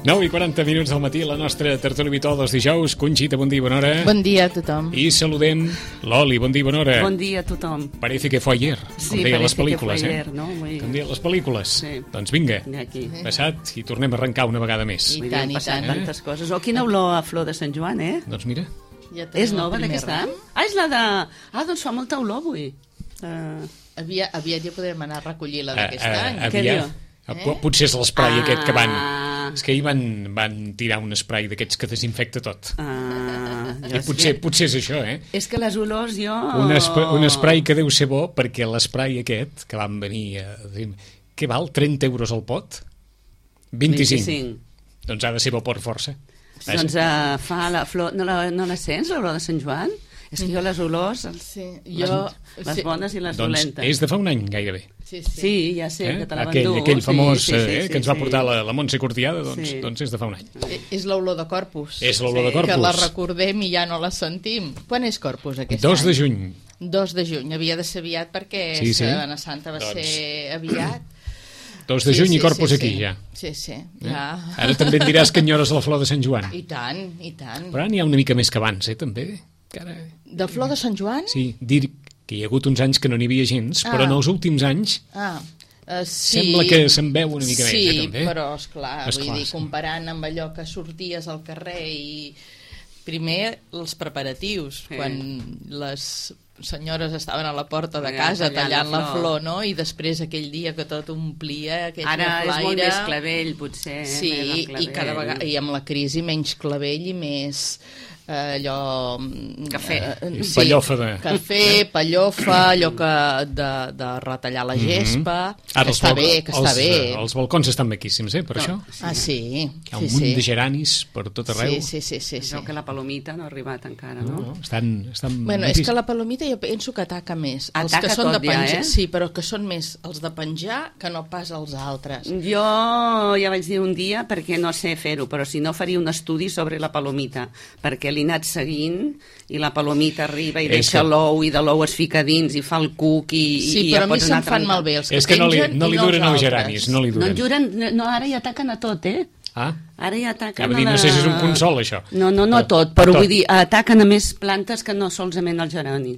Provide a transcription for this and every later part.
9:40 del matí, la nostra tertúlia habitual dels dijous. Conxita, bon dia, bona hora. Bon dia a tothom. I saludem Loli, bon dia, bona hora. Bon dia a tothom. Parece que fue ayer, Sí, com deien les parece que pel·lícules, fue ayer, no? Muy... Com deien les pel·lícules. Sí. Doncs vinga, Aquí. passat i tornem a arrencar una vegada més. I Vull dir, tant, han i passat tant. tantes coses. Oh, quina olor a flor de Sant Joan, eh? Doncs mira, Ja tenim És el nova primer d'aquest ram. any? Ah, és la de... Ah, doncs fa molta olor avui. Aviat ja podrem anar a recollir la d'aquest any. Què diu? Potser és l'esprai aquest que van... Ah. És que ahir van tirar un esprai d'aquests que desinfecta tot. I Jo potser és això, eh? És que les olors jo... Un esprai que deu ser bo, perquè l'esprai aquest, que van venir a dir... Què val? 30 euros al pot? 25. Doncs ha de ser bo per força. Doncs fa la flor... No la sents, l'olor de Sant Joan? És que jo les olors... Sí, Les bones i les Doncs dolentes. és de fa un any, gairebé. Sí, ja sé, que te la van dur. Aquell famós sí, que ens va portar la Montse Cortiada, doncs és de fa un any. És l'olor de Corpus. És l'olor de Corpus. Que la recordem i ja no la sentim. Quan és Corpus aquest 2 any? de juny. 2 de juny. Havia de ser aviat perquè Setmana Santa va ser aviat. 2 de juny i Corpus aquí, ja. Sí, ja. Ara també et diràs que enyores la flor de Sant Joan. I tant, i tant. Però ara n'hi ha una mica més que abans, també. De flor de Sant Joan? Sí, dir que hi ha hagut uns anys que no n'hi havia gens, però en els últims anys sí. sembla que se'n veu una mica més, també. Sí, però, esclar, vull dir, comparant amb allò que sorties al carrer i primer els preparatius, quan les senyores estaven a la porta de casa tallant la flor, no? I després aquell dia que tot omplia aquell Ara flaire. és molt més clavell, potser. Sí, i cada vegada, i amb la crisi menys clavell i més allò... Cafè. Pallofa de... Cafè, pallofa, allò de retallar la gespa, Ara que està bé. Els balcons estan maquíssims, per això. Ah, sí. Hi ha un munt de geranis per tot arreu. Sí. Això que la palomita no ha arribat encara, no? No, estan bueno, és que la palomita jo penso que ataca més. Els Ataca que són tot de penjar, ja, eh? sí, però que són més els de penjar que no pas els altres. Jo ja vaig dir un dia, perquè no sé fer-ho, però si no faria un estudi sobre la palomita, perquè l'he anat seguint i la palomita arriba i deixa l'ou i de l'ou es fica dins i fa el cuc i sí, ja però a mi pots se'm anar fan malbé els que és que pengen no li duren els geranis, no li duren. No, ara hi ataquen a tot, eh? Ara hi ataquen a dir, no sé si és un consol, això. No a tot, però vull dir, ataquen a més plantes que no solament el gerani.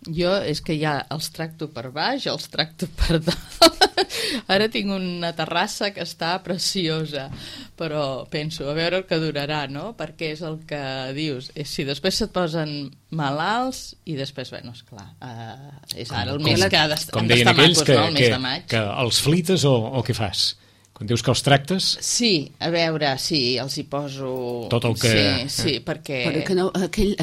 Jo és que ja els tracto per baix, els tracto per dalt. Ara tinc una terrassa que està preciosa, però penso, a veure el que durarà, no? Perquè és el que dius, si després se't posen malalts i després, bueno, esclar, és ara el mes que han d'estar macos, no? El mes de maig. Que els flites o què fas? Quan dius que els tractes... Sí, a veure, sí, els hi poso... Tot el que... Sí, perquè... Però que no, aquell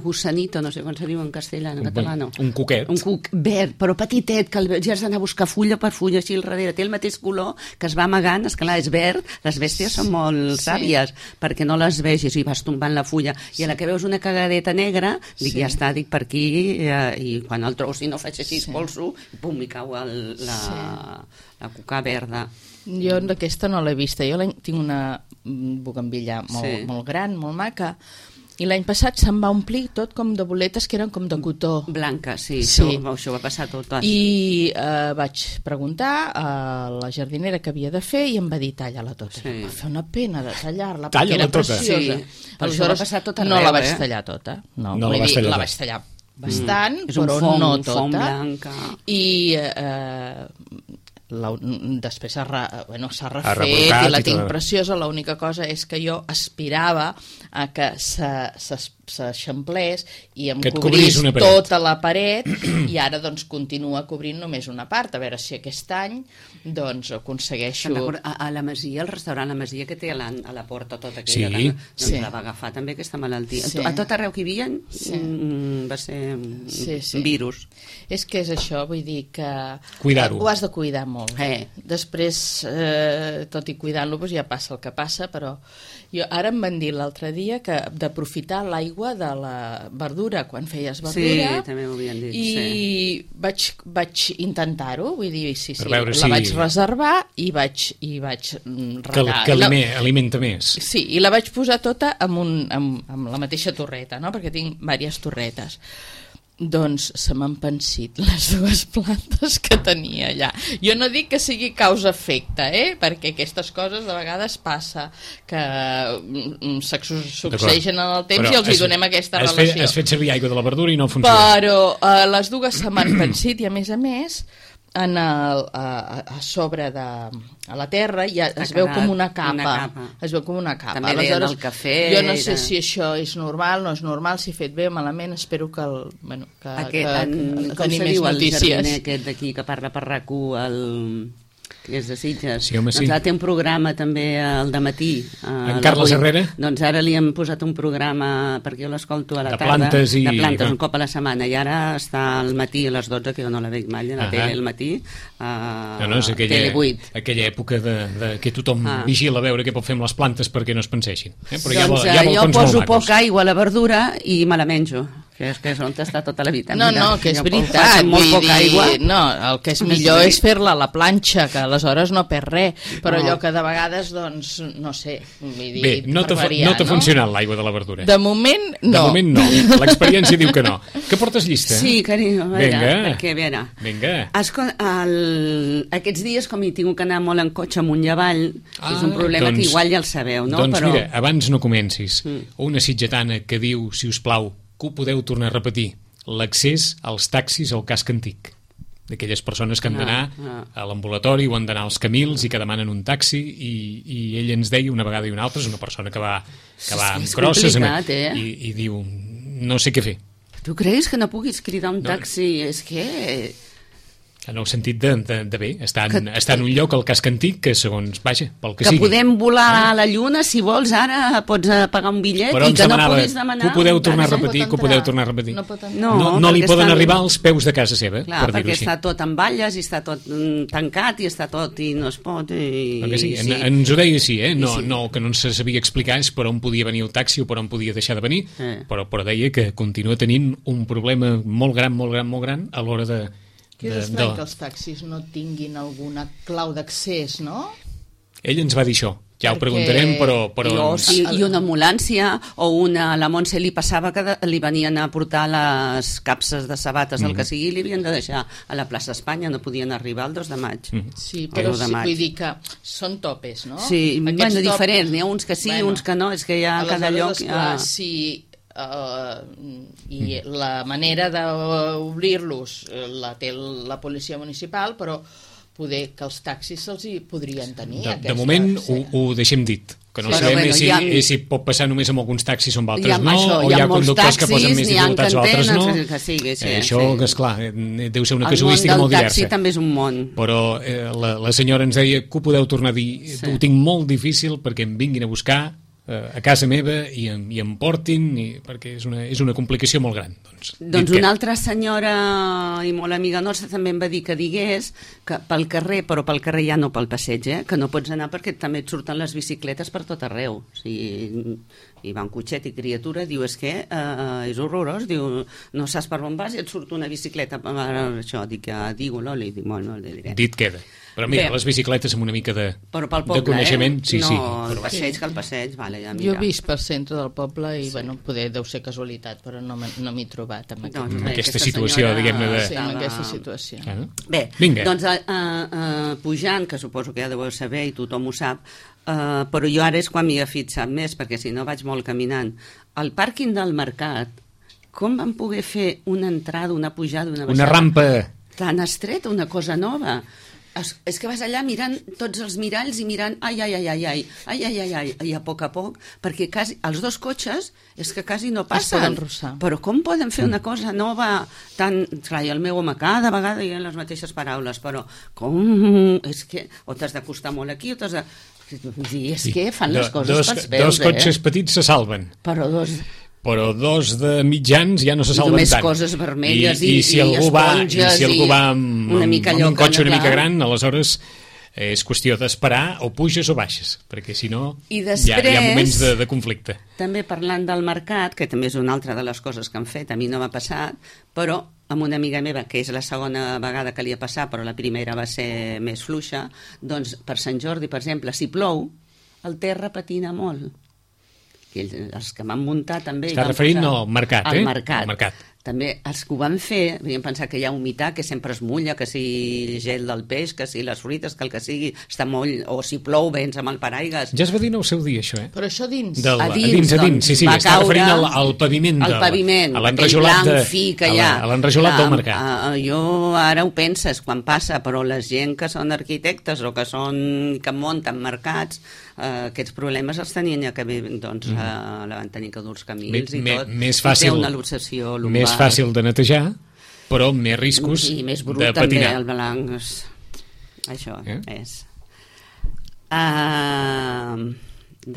gussanito, no sé com se diu en castellà, en català no. Un cuquet. Un cuc verd, però petitet, que ja has d'anar a buscar fulla per fulla així al darrere. Té el mateix color que es va amagant, esclar, és verd, les bèsties són molt sàvies, perquè no les vegis i vas tombant la fulla. I a la que veus una cagadeta negra, dic, ja està, dic per aquí, i quan el trobo, si no faig així, espolso, pum, mi cau la cuca verda. Jo d'aquesta no l'he vista. Jo tinc una bugambilla molt gran, molt maca, i l'any passat se'm va omplir tot com de boletes que eren com de cotó. Blanca, sí. Això va passar tot. I vaig preguntar a la jardinera què havia de fer i em va dir talla-la tota. Em va fer una pena de tallar-la perquè era preciosa. Aleshores no la vaig tallar tota. No la vaig tallar bastant, però no tota. Fong blanca. I després s'ha refet i la tinc preciosa. L'única cosa és que jo aspirava a que s'eixamplés i em cobrís tota la paret i ara doncs continua cobrint només una part, a veure si aquest any doncs aconsegueixo... A la Masia, el restaurant La Masia que té a la porta tota aquella, doncs la va agafar també aquesta malaltia. A tot arreu que hi havia va ser un virus. És que és això, vull dir que ho has de cuidar molt. Després, tot i cuidant-lo, ja passa el que passa, però ara em van dir l'altre dia que d'aprofitar l'aigua de la verdura quan feies verdura. Sí, també m'ho havien dit. I vaig intentar-ho, vull dir, la vaig reservar i vaig regar. Que alimenta més. Sí, i la vaig posar tota amb la mateixa torreta, no? Perquè tinc diverses torretes. Doncs se m'han pensit les dues plantes que tenia allà. Jo no dic que sigui causa-efecte, perquè aquestes coses de vegades passa, que succeeixen en el temps i els hi donem aquesta relació. Has fet servir aigua de la verdura i no funciona. Però les dues se m'han pensit i a més a sobre de la terra ja es veu com una capa. Es veu com una capa. També deien el cafè. Jo no sé si això és normal, no és normal, si he fet bé o malament, espero que tenim més notícies. El jardiner aquest d'aquí que parla per RAC1, que és de Sitges. Sí, home, sí. Doncs ara té un programa també al dematí. En Carles Herrera? Doncs ara li hem posat un programa, perquè jo l'escolto a la tarda. De plantes, un cop a la setmana. I ara està al matí a les 12, que jo no la veig mai, a la tele al matí, és Tele 8. Aquella època de que tothom vigila a veure què pot fer amb les plantes perquè no es penseixin. Però doncs jo poso poca aigua a la verdura i me la menjo. Que és on està tota la vitamina. No, que és veritat. Molt poca aigua. No, el que és millor és fer-la a la planxa, que aleshores no perd res, però allò que de vegades, doncs, no sé, bé, no t'ha funcionat l'aigua de la verdura. De moment, no. De moment no, l'experiència diu que no. Que portes llista? Sí, carinyo, a veure, perquè, a veure. Vinga. Aquests dies, com hi tinc que anar molt en cotxe amunt i avall, és un problema que igual ja el sabeu, no? Doncs mira, abans no comencis, una sitgetana que diu, si us plau, que ho podeu tornar a repetir, l'accés als taxis al casc antic, d'aquelles persones que han d'anar a l'ambulatori o han d'anar als Camils i que demanen un taxi, i ell ens deia una vegada i una altra, és una persona que va amb crosses i diu, no sé què fer. Tu creus que no puguis cridar un taxi? És que... En el sentit de bé, està en un lloc al casc antic que segons, vaja, pel que sigui. Que podem volar a la lluna, si vols, ara pots pagar un bitllet i que no puguis demanar... Que ho podeu tornar a repetir, No li poden arribar als peus de casa seva, clar, per dir-ho així. Perquè està tot en valles i està tot tancat i està tot i no es pot... Sí, ens ho deia així, que no ens sabia explicar és per on podia venir el taxi o per on podia deixar de venir, però deia que continua tenint un problema molt gran a l'hora de... Que és estrany que els taxis no tinguin alguna clau d'accés, no? Ell ens va dir això. Ja ho preguntarem, però... I una ambulància o la Montse li passava que li venien a portar les capses de sabates, el que sigui, li havien de deixar a la plaça Espanya, no podien arribar el 2 de maig. Sí, però vull dir que són topes, no? Sí, diferents, n'hi ha uns que sí, uns que no, és que hi ha cada lloc... Sí, i la manera d'obrir-los la té la policia municipal, però poder que els taxis se'ls hi podrien tenir. De moment ho deixem dit, que no sabem si pot passar només amb alguns taxis o amb altres no, o hi ha conductors que posen més dificultats o altres no. Això, esclar, deu ser una casuística molt diversa. El món del taxi també és un món. Però la senyora ens deia que ho podeu tornar a dir, ho tinc molt difícil perquè em vinguin a buscar a casa meva i em portin, perquè és una complicació molt gran. Doncs una altra senyora i molt amiga nostra també em va dir que digués que pel carrer, però pel carrer ja no pel passeig, que no pots anar perquè també et surten les bicicletes per tot arreu. O sigui, i va un cotxet i criatura, diu, és que és horrorós, diu, no saps per on vas i et surt una bicicleta. Això, dic, digue-lo, li dic, no li diré. Dit queda. Però mira, les bicicletes amb una mica de coneixement, sí. El passeig, vale, ja mira. Jo he vist per centre del poble i, poder deu ser casualitat, però no m'he trobat amb aquesta situació, diguem-ne, de... Sí, amb aquesta situació. Bé, doncs pujant, que suposo que ja deveu saber i tothom ho sap, però jo ara és quan m'hi he fixat més, perquè si no vaig molt caminant. Al pàrquing del mercat, com van poder fer una entrada, una pujada, una baixada? Una rampa tan estreta, una cosa nova. És que vas allà mirant tots els miralls i mirant ai, i a poc, perquè quasi, els dos cotxes és que quasi no passen. Però com poden fer una cosa nova tan... Clar, i el meu home cada vegada hi ha les mateixes paraules, però com... És que o t'has d'acostar molt aquí o t'has de... És que fan les coses pels peus, Dos cotxes petits se salven. Però dos de mitjans ja no se salven tant. Només coses vermelles i si algú va amb un cotxe una mica gran, aleshores és qüestió d'esperar o puges o baixes, perquè si no hi ha moments de conflicte. També parlant del mercat, que també és una altra de les coses que han fet, a mi no m'ha passat, però amb una amiga meva, que és la segona vegada que li ha passat, però la primera va ser més fluixa, doncs per Sant Jordi, per exemple, si plou, el terra patina molt. Els que m'han muntat també... Està referint al mercat, al mercat. també els que ho van fer havien pensat que hi ha humitat, que sempre es mulla, que si gel del peix, que si les fruites, que el que sigui està molt... o si plou vens amb el paraigues. Ja es va dir en el seu dia, això, Però això dins. A dins, sí, va està caure referint al paviment. Al paviment, a l'enrajolat blanc fi que hi ha. A l'enrajolat del mercat. Jo ara ho penses quan passa, però la gent que són arquitectes o que munten mercats, aquests problemes els tenien ja que doncs, la van tenir que dur els camins i tot. Més fàcil, una luxació lumbar. Més fàcil de netejar, però més riscos i més brut, de patinar. També, el blanc. Això és.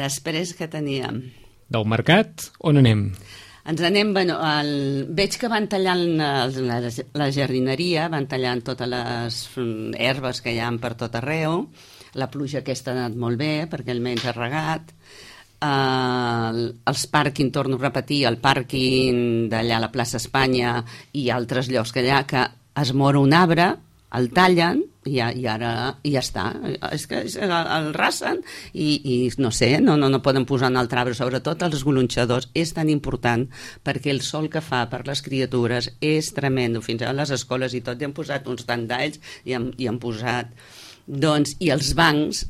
Després que teníem? Del mercat, on anem? Ens anem, veig que van tallant la jardineria, van tallant totes les herbes que hi ha per tot arreu. La pluja aquesta ha anat molt bé, perquè almenys ha regat. Els pàrquing, torno a repetir, el pàrquing d'allà a la plaça Espanya i altres llocs que allà, que es mor un arbre, el tallen i ara ja està. És que el rasen i no sé, no poden posar un altre arbre, sobretot els golonxadors. És tan important perquè el sol que fa per les criatures és tremendo. Fins a les escoles i tot hi han posat uns tandalls i han posat... Doncs, i els bancs,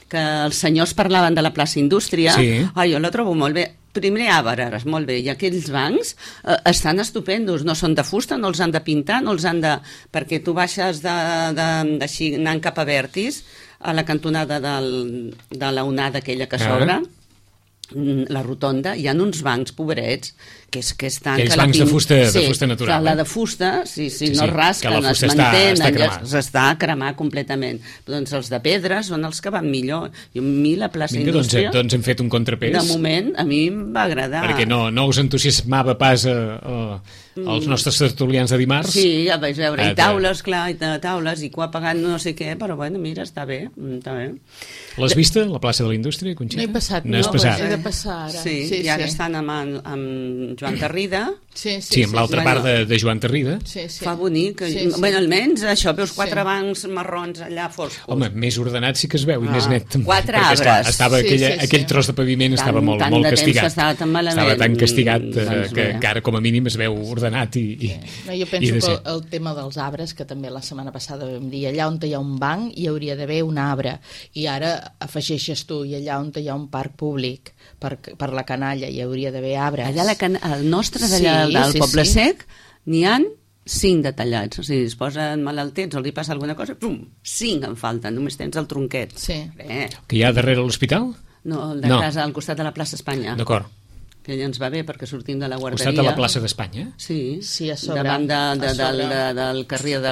que els senyors parlaven de la plaça Indústria, jo la trobo molt bé. Primer arbres, molt bé, i aquells bancs estan estupendos, no són de fusta, no els han de pintar, no els han de... perquè tu baixes així, anant cap a Vertis, a la cantonada de la onada aquella que s'obre, la rotonda, hi ha uns bancs pobrets que estan... Aquells bancs de fusta natural. La de fusta, no rasquen, es mantenen, s'està a cremar completament. Doncs els de pedra són els que van millor. I a mi la plaça Indústria... Doncs hem fet un contrapès. De moment, a mi em va agradar. Perquè no us entusiasmava pas els nostres tertulians de dimarts? Sí, ja vaig veure. I taules, clar, i cua pagant no sé què, però bueno, mira, està bé. L'has vista, la plaça de la Indústria, Conxita? No he passat, no has passat. He de passar ara. Sí, i ara estan amb Joan Tarrida. Sí, amb l'altra part de Joan Tarrida. Fa bonic. Bueno, almenys això, veus 4 bancs marrons allà foscos. Home, més ordenat sí que es veu i més net. 4 arbres. Estava aquell tros de paviment estava molt castigat. Estava tan castigat que ara com a mínim es veu ordenat i jo penso que el tema dels arbres, que també la setmana passada vam dir, allà on hi ha un banc hi hauria d'haver un arbre, i ara afegeixes tu, i allà on hi ha un parc públic per la canalla hi hauria d'haver arbre. Allà el nostre d'allà del Poble Sec n'hi han 5 detallats, o sigui, es posen malaltets o li passa alguna cosa, 5 en falten, només tens el tronquet. Que hi ha darrere l'hospital? No, el de casa al costat de la plaça Espanya. D'acord. Que ja ens va bé perquè sortim de la guarderia. Al costat de la plaça d'Espanya? Sí, a sobre. Davant del carrer de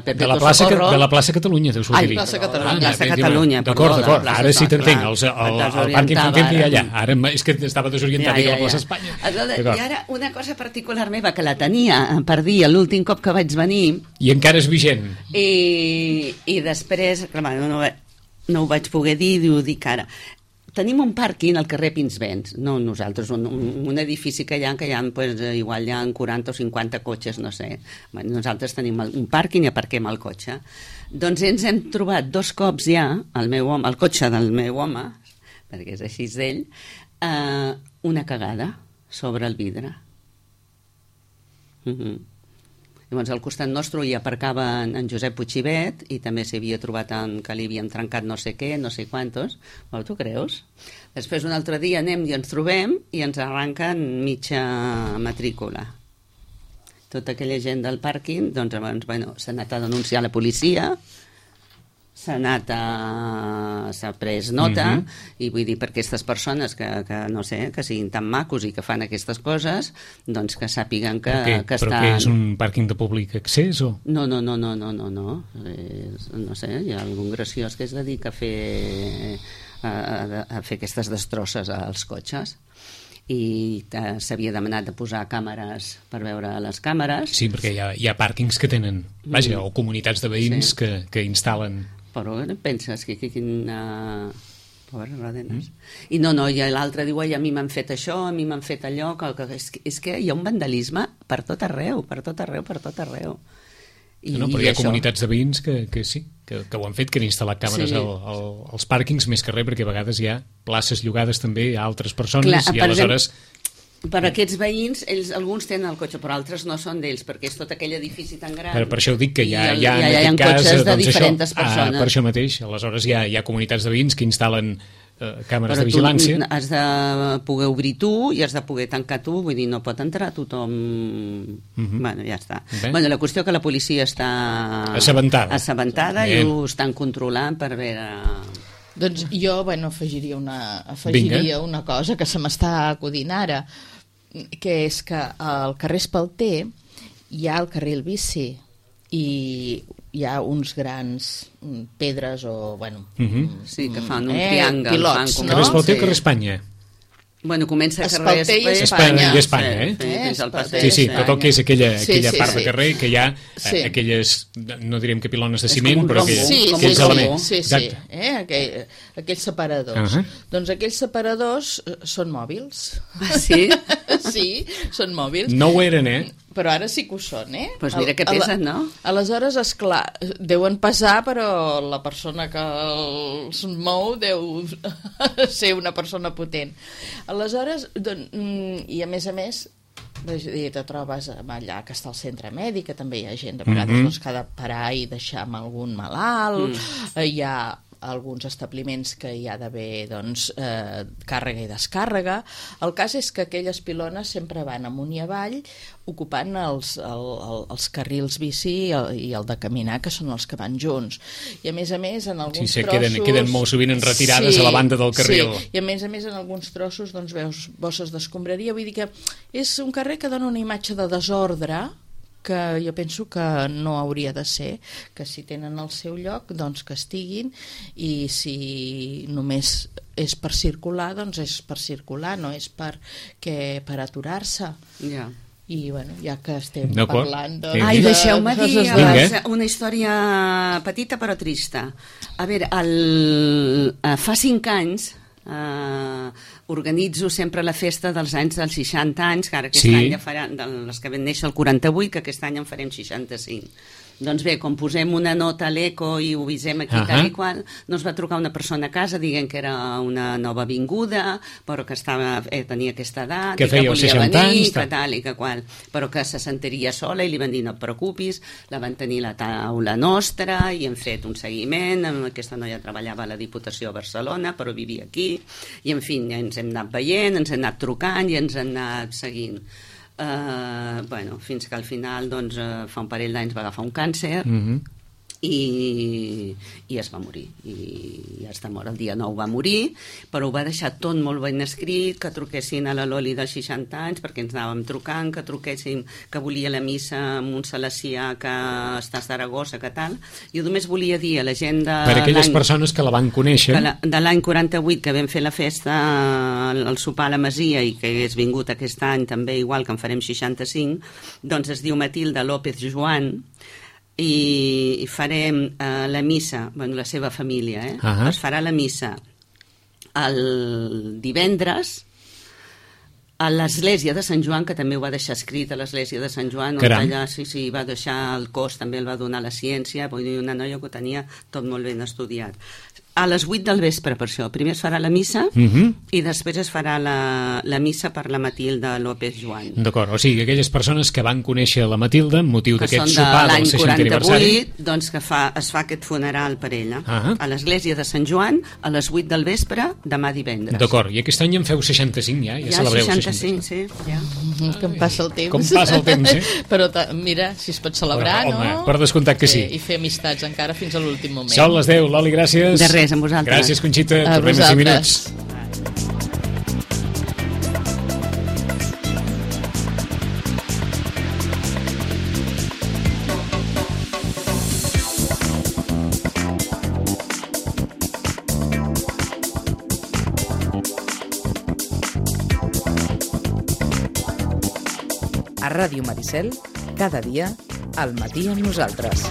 Pepe Socorro. De la plaça Catalunya, deus dir. Plaça Catalunya. Plaça Catalunya. D'acord. Ara sí t'entenc. El pàrquing content hi ha allà. Ara és que estava desorientat a la plaça Espanya. I ara una cosa particular meva que la tenia per dir l'últim cop que vaig venir. I encara és vigent. I després, no ho vaig poder dir, ho dic ara. Tenim un pàrquing al carrer Pinsbens, no nosaltres, un edifici que hi ha, igual hi ha 40 o 50 cotxes, no sé. Nosaltres tenim un pàrquing i aparquem el cotxe. Doncs ens hem trobat 2 cops ja, el cotxe del meu home, perquè és així d'ell, una cagada sobre el vidre. Llavors, al costat nostre hi aparcava en Josep Puigibet i també s'hi havia trobat que li havíem trencat no sé què, no sé quantos. Bueno, tu creus? Després, un altre dia anem i ens trobem i ens arranquen mitja matrícula. Tota aquella gent del pàrquing, doncs, s'ha anat a denunciar a la policia, s'ha pres nota, i vull dir, per aquestes persones que no sé, que siguin tan macos i que fan aquestes coses, doncs que sàpiguen que estan... Però què, és un pàrquing de públic accés o...? No. No sé, hi ha algun graciós que es dedica a fer aquestes destrosses als cotxes. I s'havia demanat de posar càmeres per veure les càmeres. Sí, perquè hi ha pàrquings que tenen, o comunitats de veïns que instal·len... Però penses que quina... Pobres rodenes. I i l'altre diu, a mi m'han fet això, a mi m'han fet allò, és que hi ha un vandalisme per tot arreu. Però hi ha comunitats de veïns que sí, que ho han fet, que han instal·lat càmeres als pàrquings, més que res, perquè a vegades hi ha places llogades també a altres persones i aleshores Per aquests veïns, alguns tenen el cotxe, però altres no són d'ells, perquè és tot aquell edifici tan gran. Per això ho dic, que hi ha en aquest cas, cotxes de diferents persones. Per això mateix, aleshores hi ha comunitats de veïns que instal·len càmeres de vigilància. Però tu has de poder obrir tu i has de poder tancar tu, vull dir, no pot entrar tothom... Bueno, ja està. Bueno, la qüestió que la policia està... assabentada i ho estan controlant per veure... Doncs jo, afegiria una cosa que se m'està acudint ara, que és que al carrer Espalter hi ha el carril bici i hi ha uns grans pedres o, sí, que fan un triangle. Pilots, no? Carrer Espalter o carrer Espanya? Bueno, comença a carrer Espanya. Sí, tot el que és aquella part de carrer que hi ha aquelles, no direm que pilones de ciment, però aquells elements. Sí, aquells separadors. Doncs aquells separadors són mòbils. Ah, sí? Sí, són mòbils. No ho eren, Però ara sí que ho són, Doncs mira que pesen, no? Aleshores, esclar, deuen pesar, però la persona que els mou deu ser una persona potent. Aleshores, i a més, te trobes allà que està al centre mèdic, que també hi ha gent, de vegades que ha de parar i deixar amb algun malalt, hi ha alguns establiments que hi ha d'haver càrrega i descàrrega. El cas és que aquelles pilones sempre van amunt i avall ocupant els carrils bici i el de caminar, que són els que van junts. I a més, en alguns trossos... queden molt sovint enretirades a la banda del carril. Sí, i a més, en alguns trossos veus bosses d'escombraria. Vull dir que és un carrer que dona una imatge de desordre que jo penso que no hauria de ser, que si tenen el seu lloc, doncs que estiguin, i si només és per circular, doncs és per circular, no és per aturar-se. Ja. I, ja que estem parlant... Ai, deixeu-me dir una història petita però trista. A veure, fa 5 anys organitzo sempre la festa dels anys dels 60 anys, que ara aquest any ja faran, les que van néixer el 48, que aquest any en farem 65. Doncs bé, com posem una nota a l'eco i ho visem aquí tal i qual, doncs va trucar una persona a casa dient que era una nova vinguda, però que tenia aquesta edat, que feia volia 60 venir, anys, que tal i que qual, però que se sentiria sola i li van dir no et preocupis, la van tenir a la taula nostra i hem fet un seguiment. Aquesta noia treballava a la Diputació de Barcelona, però vivia aquí, i en fi, ens hem anat veient, ens hem anat trucant i ens hem anat seguint. Fins que al final fa un parell d'anys va agafar un càncer i es va morir i ja està mort. El dia 9 va morir, però ho va deixar tot molt ben escrit, que truquessin a la Loli dels 60 anys perquè ens anàvem trucant, que truquéssim que volia la missa amb un salesià que està a Saragossa, que tal. Jo només volia dir a la gent per aquelles persones que la van conèixer de l'any 48, que vam fer la festa al sopar a la Masia i que hagués vingut aquest any també, igual que en farem 65, doncs es diu Matilde López Joan, i farem la missa, la seva família, es farà la missa el divendres a l'església de Sant Joan, que també ho va deixar escrit a l'església de Sant Joan, on allà va deixar el cos, també el va donar la ciència, vull dir, una noia que ho tenia tot molt ben estudiat. A les 8 del vespre, per això. Primer es farà la missa i després es farà la missa per la Matilde López Joan. D'acord, o sigui, aquelles persones que van conèixer la Matilde amb motiu d'aquest sopar del 60 aniversari... doncs que es fa aquest funeral per ella. A l'església de Sant Joan, a les 8 del vespre, demà divendres. D'acord, i aquest any en feu 65 ja celebreu 65, sí. Ja. Com passa el temps. Com passa el temps, Però mira, si es pot celebrar, no? Home, per descomptat que sí. I fer amistats encara fins a l'últim moment. Són les 10, Loli, gràcies. De res, amb vosaltres. Gràcies, Conxita. Tornem a 5 minuts. A Ràdio Maricel, cada dia, al matí amb nosaltres.